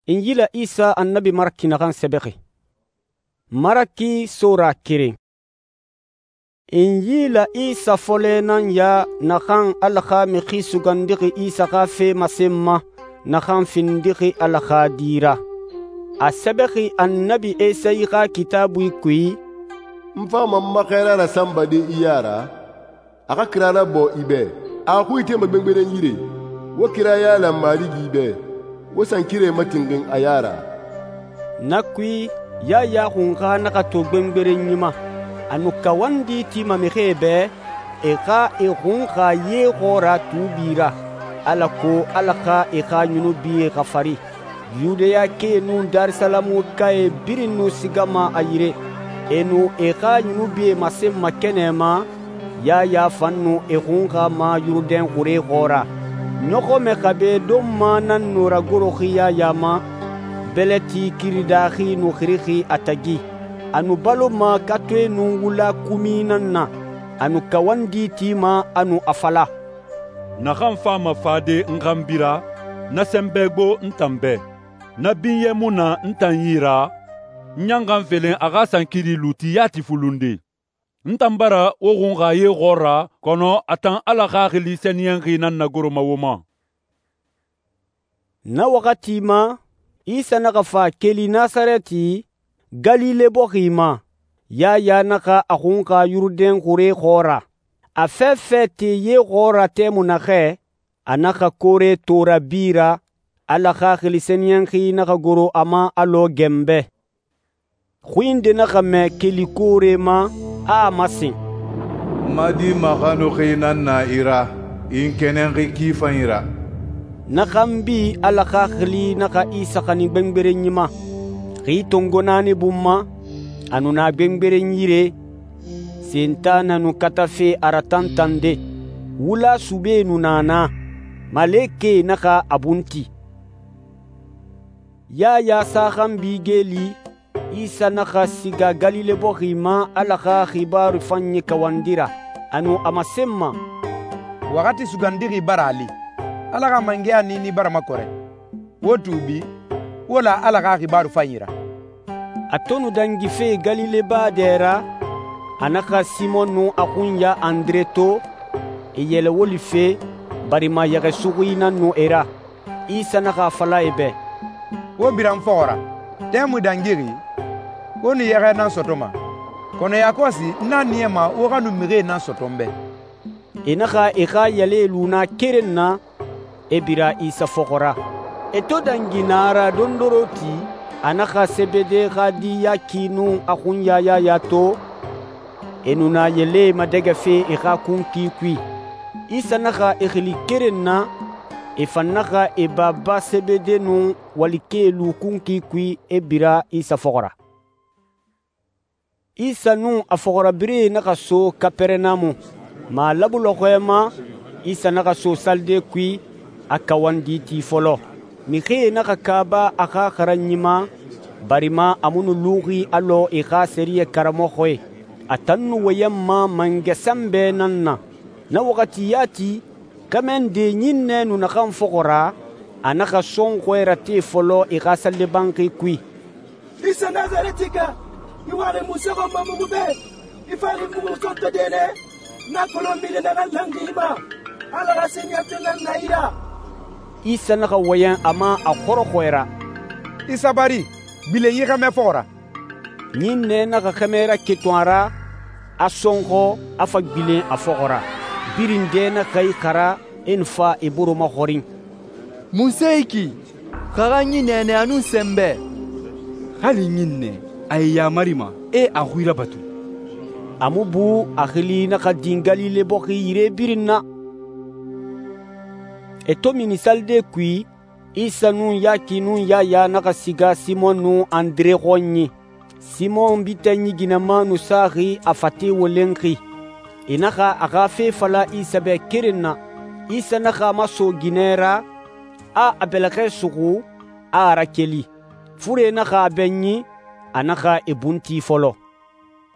Injila Isa annabi Maraki naxan sɛbɛxi. Maraki sora keren. Injila Isa fɔlɛ nan ya naxan Ala xa Mixi Sugandixi Isa xa fe masen ma naxan findixi Ala xa Di ra. A sɛbɛxi annabi Esayi xa Kitaabui kui, «N fama n ma xɛɛra rasanbade i ya ra, a xa kira rabɔ i bɛ. A xui itema gbengberenyi yire. Wo kira yaala Marigi bɛ, wo sankirɛe matinxin a ya ra.» Na kui, Yaya xunxa naxa to gbengberenyi ma. A nu kawandi tima mixie bɛ, e xa e xunxa ye xɔɔra tuubi ra, alako Ala xa e xa yunubie xafari. Yudayakae nun Darisalamukae birin nu sigama a yire. E nu e xa yunubie masenma kɛnɛ ma, Yaya fan nu e xunxa ma Yurudɛn xure xɔɔra. Ɲɔxɔmɛ xabe donma nan nu ragoroxi Yaya ma, bɛlɛti kiridaxi nu xirixi a tagi. A nu baloma katoe nun wula kumi nan na. A nu kawandi tima, a nu a fala, «Naxan fama fade n xanbi ra, na sɛnbɛ gbo n tan bɛ. Na binyɛ mu na n tan yi ra, n ɲanxan felen a xa sankiri luuti yati fulunde. N tan bara wo xunxa ye xɔɔra, kɔnɔ a tan Ala Xaxili Sɛniyɛnxi nan nagoroma wo ma.» Na waxati ma, Isa naxa fa keli Nasarɛti, Galile bɔxi ma. Yaya naxa a xunxa Yurudɛn xure xɔɔra. A fɛfɛ te ye xɔɔra tɛmui naxɛ, a naxa koore tora bi ra, Ala Xaxili Sɛniyɛnxi naxa goro a ma alɔ gɛnbɛ. Xui nde naxa mɛ keli koore ma, a a masen, «N ma di maxanuxi nan na i ra, i n kɛnɛnxi ki fanyi ra.» Na xanbi Ala Xaxili naxa Isa xanin gbengberenyi ma. Xi tongo naani bun ma, a nu na gbengberenyi yire, Sentanɛ nu katafe a ratantande. Wula sube nu na na, malekɛe naxa a bunti. Yaya sa xanbi geeli, Isa naxa siga Galile bɔxi ma Ala xa xibaaru fanyi kawandi ra. A nu a masenma, «Waxati sugandixi bara a li, Ala xa mangɛya niini bara makɔrɛ. Wo tuubi, wo la Ala xa xibaaru fanyi ra.» A to nu dangife Galile baa dɛ ra, a naxa Simɔn nun a xunya Andre to, e yɛlɛ woli fe, barima yɛxɛ suxui nan nu e ra. Isa naxa a fala e bɛ, «Wo bira n fɔxɔ ra. Tɛmui dangixi, wo nu yɛxɛ nan sɔtɔma, kɔnɔ yakɔsi n na niyama wo xa nu mixie nan sɔtɔ n bɛ.» E naxa e xa yɛlɛe lu na keren na, e bira Isa fɔxɔ ra. E to dangi na ra dondoroti, a naxa Sebede xa di Yaki nun a xunya Yaya to, e nu na yɛlɛe madɛgɛfe e xa kunki kui. Isa naxa e xili keren na, e fan naxa e baba Sebede nun walikɛe lu kunki kui, e bira Isa fɔxɔ ra. Isa nun a fɔxɔrabirɛe naxa so Kapɛrɛnamu. Malabu lɔxɔɛ ma, Isa naxa so salide kui, a kawandi ti fɔlɔ. Mixie naxa kaaba a xa xaranyi ma, barima a mu nu luxi alɔ e xa sɛriyɛ karamɔxɔe. A tan nu wɔyɛnma mangɛ sanbɛ nan na. Na waxati yati, xɛmɛ nde ɲinnɛ nu naxan fɔxɔ ra, a naxa sɔnxɔɛ rate fɔlɔ e xa salide banxi kui. «Isa Nazarɛtika, i waxi Musa xɔnma mugu bɛ, i fari mugu sɔntɔ dɛnɛ, na kolon mini naxan langi i ma, Ala xa sɛniyɛnfe nan na i ra.» Isa naxa wɔyɛn a ma a xɔrɔxɔɛra, «I sabari, gbilen yi xɛmɛ fɔxɔ ra.» Ɲinnɛ naxa xɛmɛ raketun a ra, a sɔnxɔ, a fa gbilen a fɔxɔ ra. Birin dɛ naxa i xara, e nu fa e boro maxɔrin, «Mun se yi ki? Xa xa ɲinnɛ nɛ a nun sɛnbɛ.» «Hali ɲinnɛ, a ye yamarima, e a xui rabatu.» A mu bu a xili naxa din Galile bɔxi yire birin na. E to mini salide kui, Isa nun Yaki nun Yaya naxa siga Simɔn nun Andre xɔnyi. Simɔn bitɛ ɲiginama nu saxi a fate wolenxi. E naxa a xa fe fala Isa bɛ keren na. Isa naxa a maso ginɛ ra, a bɛlɛxɛ suxu, a rakeli. Fure naxa a bɛɲi, a naxa e bunti fɔlɔ.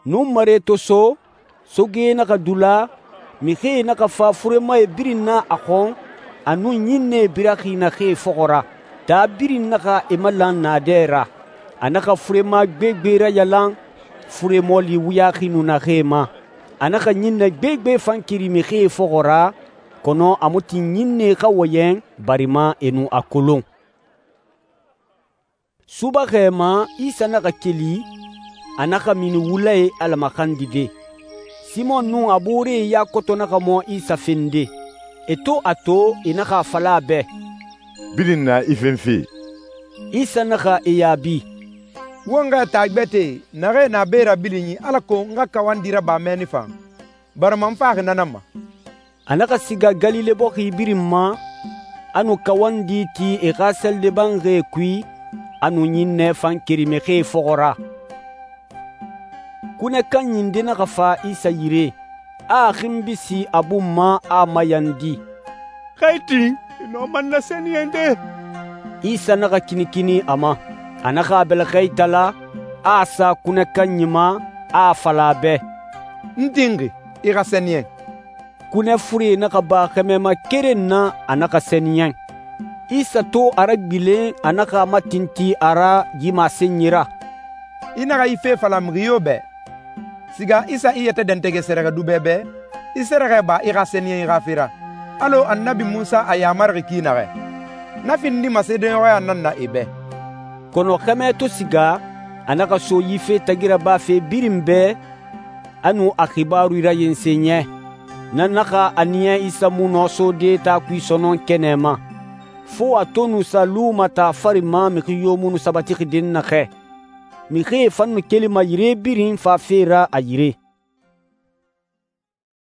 Nun mare to so, soge naxa dula, mixie naxa fa furemae birin na a xɔn, a nun ɲinnɛe biraxi naxee fɔxɔ ra. taa birin naxa e malan naadɛ ra. A naxa furema gbegbe rayalan fure mɔɔli wuyaxi nu naxee ma. A naxa ɲinnɛ gbegbe fan keri mixie fɔxɔ ra, kɔnɔ a mu tin ɲinnɛe xa wɔyɛn barima e nu a kolon. Subaxɛ ma, Isa naxa keli, a naxa mini wulae Ala maxandide. Simɔn nun a booree ya koto naxa mɔ Isa fende. E to a to, e naxa a fala a bɛ, birin na i fenfe. Isa naxa e yaabi, wo n xa taa gbɛtɛe naxee na be ra bilinyi alako n xa kawandi raba mɛnni fan, barima n faxi na nan ma. A naxa siga Galile bɔxi birin ma, a nu kawandi ti e xa sɛlɛbanxie kui, a nu ɲinnɛ fan keri mixie fɔxɔ ra. Kunɛ kanyi nde naxa fa Isa yire, a a xinbisi a bun ma a mayandi, Xa i tin, i nɔ man na sɛniyɛnde. Isa naxa kinikini a ma. A naxa a bɛlɛxɛ itala, a a sa kunɛ kanyi ma, a a fala a bɛ, N tinxi, i xa sɛniyɛn. kunɛ fure naxa ba xɛmɛma keren na, a naxa sɛniyɛn. Isa to a ragbilen, a naxa a matintin a ra yi masenyi ra. I naxa yi fe fala mixi yo bɛ. Siga Isa i yɛtɛ dɛntɛgɛ sɛrɛxɛdubɛ bɛ, i sɛrɛxɛ ba i xa sɛniyɛn i xa fe ra, alɔ Annabi Munsa a yamarixi ki naxɛ. Na findima seedeɲɔxɔya nan na e bɛ. Kɔnɔ xɛmɛ to siga, a naxa so yi fe tagi rabafe birin bɛ, a nu a xibaru rayensen ɲɛ. Na naxa a niya Isa mu nɔ sode taa kui sɔnɔn kɛnɛ ma, fo a to nu sa lumata fari ma mixi yo mu nu sabatixi den naxɛ. Mixie fan nu kelima yire birin fafe ra a yire.